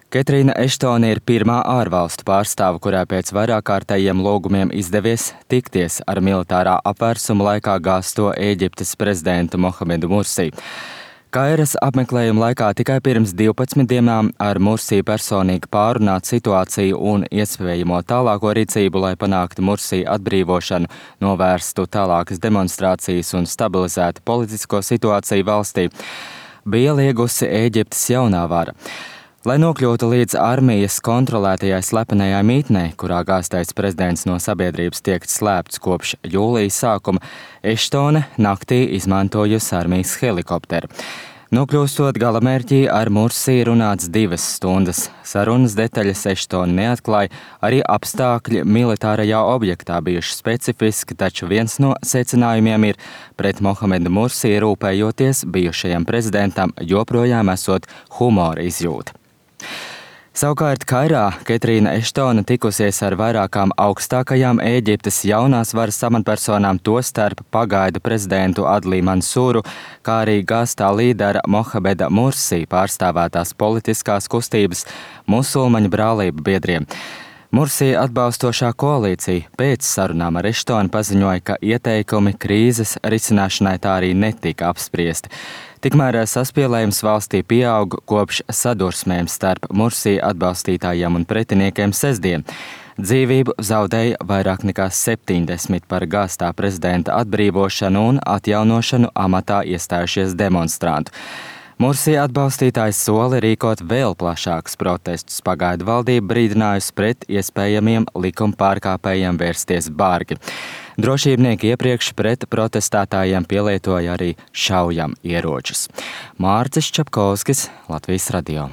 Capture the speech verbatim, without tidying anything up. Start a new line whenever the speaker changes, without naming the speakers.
Ketrīna Eštone ir pirmā ārvalstu pārstāve, kurā pēc vairākkārtējiem lūgumiem izdevies tikties ar militārā apvērsuma laikā gāzto Ēģiptes prezidentu Mohamedu Mursī. Kairas apmeklējuma laikā tikai pirms divpadsmit dienām ar Mursī personīgi pārunāt situāciju un iespējamo tālāko rīcību, lai panāktu Mursī atbrīvošanu, novērstu tālākas demonstrācijas un stabilizētu politisko situāciju valstī, bija liegusi Ēģiptes jaunā vara. Lai nokļūtu līdz armijas kontrolētajai slepenajai mītnei, kurā gāztais prezidents no sabiedrības tiek slēpts kopš jūlijas sākuma, Eštone naktī izmantojusi armijas helikopteru. Nokļūstot galamērķī, ar Mursī runāts divas stundas. Sarunas detaļas Eštone neatklāja, arī apstākļi militārajā objektā bijuši specifiski, taču viens no secinājumiem ir, pret Mohamedu Mursī rūpējoties bijušajam prezidentam joprojām esot humora izjūta. Savukārt Kairā Ketrīna Eštone tikusies ar vairākām augstākajām Ēģiptes jaunās varas amatpersonām, tostarp pagaidu prezidentu Adlī Mansūru, kā arī gāztā līdera Mohameda Mursī pārstāvētās politiskās kustības musulmaņu brālību biedriem. Mursī atbalstošā koalīcija pēc sarunām ar Eštoni paziņoja, ka ieteikumi krīzes risināšanai tā arī netika apspriesti. Tikmēr saspīlējums valstī pieaug kopš sadursmēm starp Mursī atbalstītājiem un pretiniekiem sestdien. Dzīvību zaudēja vairāk nekā septiņdesmit par gāztā prezidenta atbrīvošanu un atjaunošanu amatā iestājušies demonstrantu. Mursī atbalstītājs soli rīkot vēl plašākus protestus. Pagaidu valdība brīdinājusi pret iespējamiem likuma pārkāpējiem vērsties bargi. Drošībnieki iepriekš pret protestētājiem pielietoja arī šaujam ieročus. Mārcis Čapkovskis, Latvijas radio.